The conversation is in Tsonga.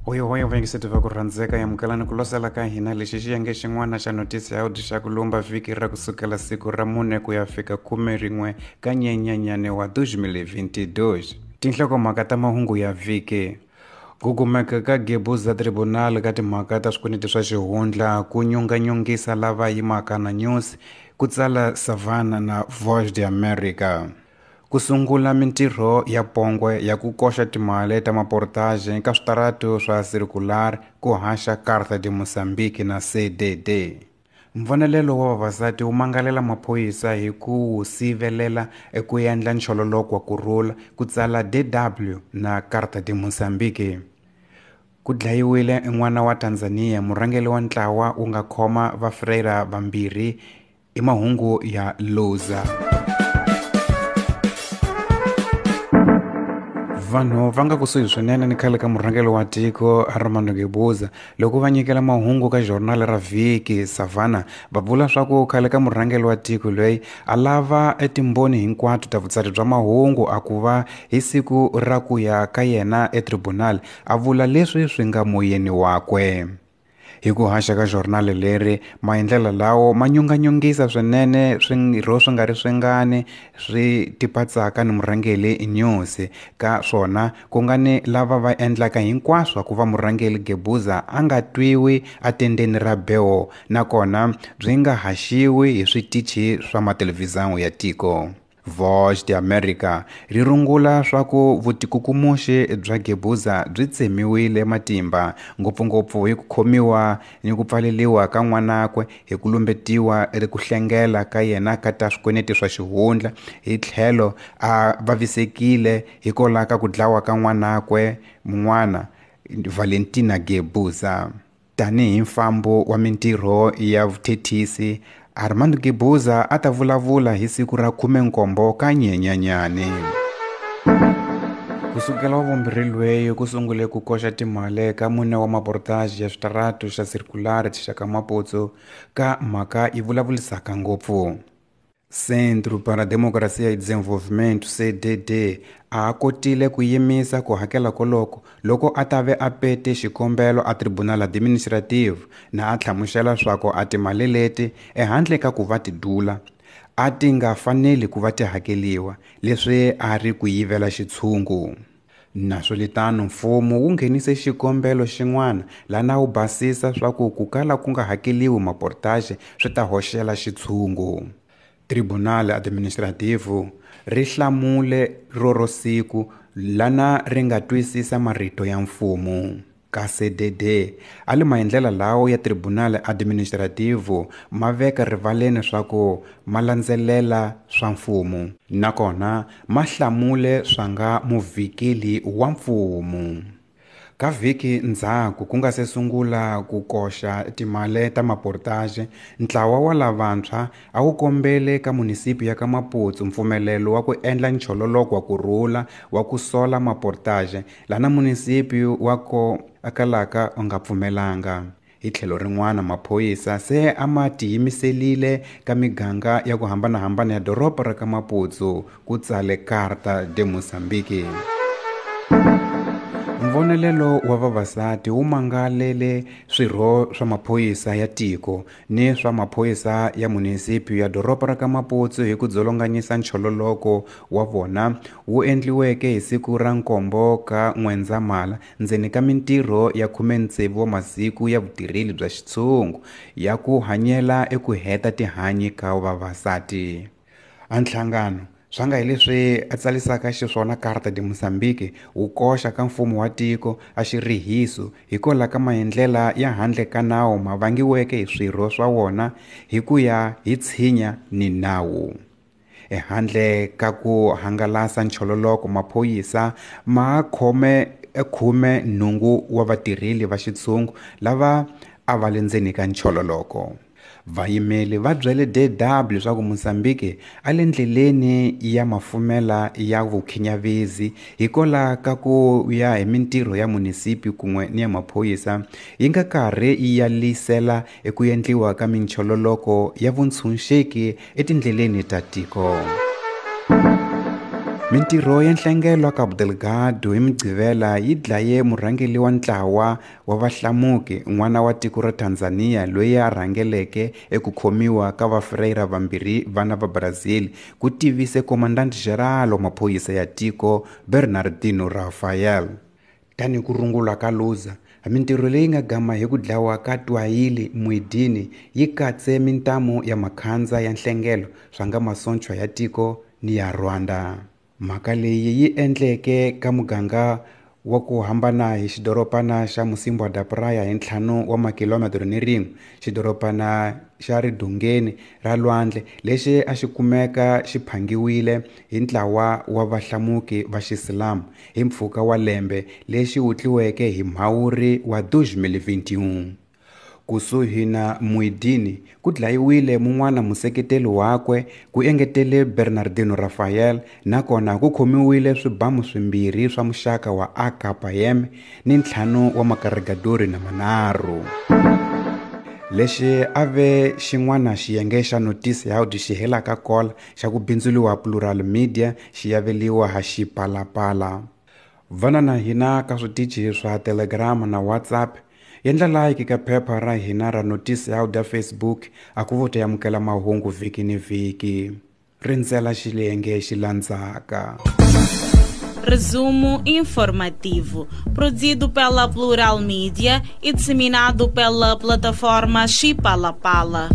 Hoyo vayingiseti va ku rhandzeka yamukelani ku losela ka hina lexi xiyenge xin'wana xa notisi ya audio xa ku lumba vhiki ra kusukela siku ra 4 ku ya fika 11 ka Nyenyenyane wa 2022. Tinhlokomhaka ta mahungu ya vhiki. Ku kumeka ka Guebuza Tribunal ka timhaka ta swikweleti swa xihundla ku nyunganyungisa lava yimaka na News, ku tsala Savannah na Voz de America. Ku sungula mintirho ya pongwe ya ku koxa timali ta maportage ka switaratu swa circular ku haxa Carta de Moçambique na CDD. Mvonelelo wa vavasati wu mangalela maphorisa hi ku wu sivelela eku endla nchololoko wa kurhula, ku tsala DW na Carta de Moçambique. Ku dlayiwile n'wana wa Tanzania, murhangeri wa ntlawa wu nga khoma vafrera vambirhi i mahungu ya Luza. Vanhu va nga kusuhi swinene ni khale ka murhangeri wa tiko Armando Guebuza loko va nyikela mahungu ka journal ra vhiki Savannah va vula swa ku khale ka murhangeri wa tiko loyi a lava etimbhoni hinkwato ta vutsari bya mahungu a ku va hi siku ra ku ya ka yena etribunal a vula leswi swi nga moyeni wakwe. Hi ku haxa ka journal leri maendlelo lawo ma nyunganyungisa swinene swirho swi nga ri swingani swi tipatsaka ni murhangeri News ka swona ku nga ni lava va endlaka hinkwaswo ku va murhangeri Guebuza a nga twiwi atendeni ra beo nakona byi nga haxiwi hi switichi swa mathelevhizani ya tiko. Voz de America ri rungula swa ku vutikukumuxi bya Guebuza byi tsemiwile matimba ngopfungopfu hi ku khomiwa ni ku pfaleriwa ka n'wanakwe hi ku lumbetiwa ku hlengela ka yena ka ta swikweleti swa xihundla hi tlhelo a vavisekile hikwalaho ka ku dlawa ka n'wanakwe mun'wana Valentina Guebuza. Tanihi mfambo wa mintirho ya vuthethisi, Armando Guebuza a ta vulavula hi siku ra 17 ka Nyenyenyane. Kusukela wa vumbirhi lweyi ku sungule ku koxa timali ka mune wa maportage ya switaratu xa circular xa ka Maputo ka mhaka yi vulavulisaka ngopfu. Centro para a Democracia e Desenvolvimento CDD a kotile ku yimisa ku hakela koloko loko a ta ve a pete xikombelo a Tribunal Administrativo na a hlamusela swa ku a timali leti ehandle ka ku va ti dula a ti nga faneli ku va ti hakeliwa leswi a ri ku yivela xitshungu. Naswolitano mfumo wu nghenise xikombelo xin'wana lana wu basisa swa ku ku kala ku nga hakeliwi maportage swi ta hoxela xitshungu. Tribunal Administrativo ri hlamule roro siku lana ri nga twisisa marito ya mfumo. Ka CDD a li maendlela lawo ya Tribunal Administrativo ma veka rivaleni swa ku ma landzelela swa mfumo nakona ma hlamule swa nga muvhikeli wa mfumo. Ka vhiki ndzhaku ku nga se sungula ku koxa timali ta maportage, ntlawa wa lavantshwa a wu kombele ka munisipi ya ka Maputo mpfumelelo wa ku endla nchololoko wa kurhula wa ku sola maportage lana munisipi wa ko akalaka u nga pfumelanga. Hi tlhelo rin'wana maphorisa se a ma tiyimiselile ka miganga ya ku hambanahambana ya doroba ra ka Maputo ku tsale Carta de Moçambique. Mvonelelo wa vavasati wu mangalele swirho swa maphorisa ya tiko ni swa maphorisa ya munisipi ya doroba ra ka Maputo hi ku dzolonganyisa nchololoko wa vona wu endliweke hi siku ra 7 ka N'wendzamhala ndzeni ka mintirho ya 16 wa masiku ya vutirheli bya xitshungu ya ku hanyela eku heta tihanyi ka vavasati. A nhlangano swa nga hi leswi a tsalisaka xiswona Carta de Moçambique wu koxa ka mfumo wa tiko a xirihiso hikwalaho ka maendlela ya handle ka nawu ma vangiweke hi swirho swa wona hi ku ya hi tshinya ni nawu. Ehandle ka ku hangalasa nchololoko maphorisa ma khome 18 wa vatirheli va xitshungu lava a va le ndzeni ka nchololoko. Vayimeli va byele DW leswaku Mozambique a le ndleleni ya mafumela ya vukhinyavezi hikwalaho ka ku ya hi mintirho ya munisipi kun'we ni ya maphorisa yi nga karhi yi yalisela eku endliwa ka minchololoko ya vuntshunxeki etindleleni ta tiko. Mintirho ya nhlengelo Cabo Delgado hi Mugqivela yi dlaye murhangeri wa ntlawa wa vahlamuki n'wana wa tiko ra Tanzania loyi a rhangeleke eku khomiwa ka vafreyira vambirhi vana va Brazil, ku tivise Comandante Geral wa maphorisa ya tiko Bernardino Rafael. Tanihi ku rungula ka Luza, mintirho leyi nga gama hi ku dlawa ka Twahili Muidini yi katse mintamu ya makhandza ya nhlengelo swa nga masochwa ya tiko ni ya Rwanda. Mhaka leyi yi endleke ka muganga wa ku hambana hi xidorobana xa Mocímboa da Praia hi 5 wa makilometero ni rin'we, xidorobana xa ridongeni ra lwandle lexi a xi kumeka xi phangiwile hi ntlawa wa vahlamuki va Xiisilamu hi mpfhuka wa lembe lexi wutliweke hi Mhawuri wa 2021. Kusuhi na Muidini ku dlayiwile mun'wana museketeli wakwe, ku engetele Bernardino Rafael, nakona ku khomiwile swibamu swimbirhi swa muxaka wa AKM ni 5 wa makarigadori na manharhu. Lexi a ve xin'wana xiyenge xa notisi ya xi helaka kola xa ku bindzuriwa Plural Media xi yaveliwa ha Xipalapala. Vana na hina ka switichi swa Telegram na WhatsApp. Endla like ka phepha ra hina ra notisi ya Facebook a ku vo amukela mahungu vhiki ni vhiki. Rindzela xilenge xi landzaka. Resumo informativo, produzido pela Plural Mídia e disseminado pela plataforma Xipalapala.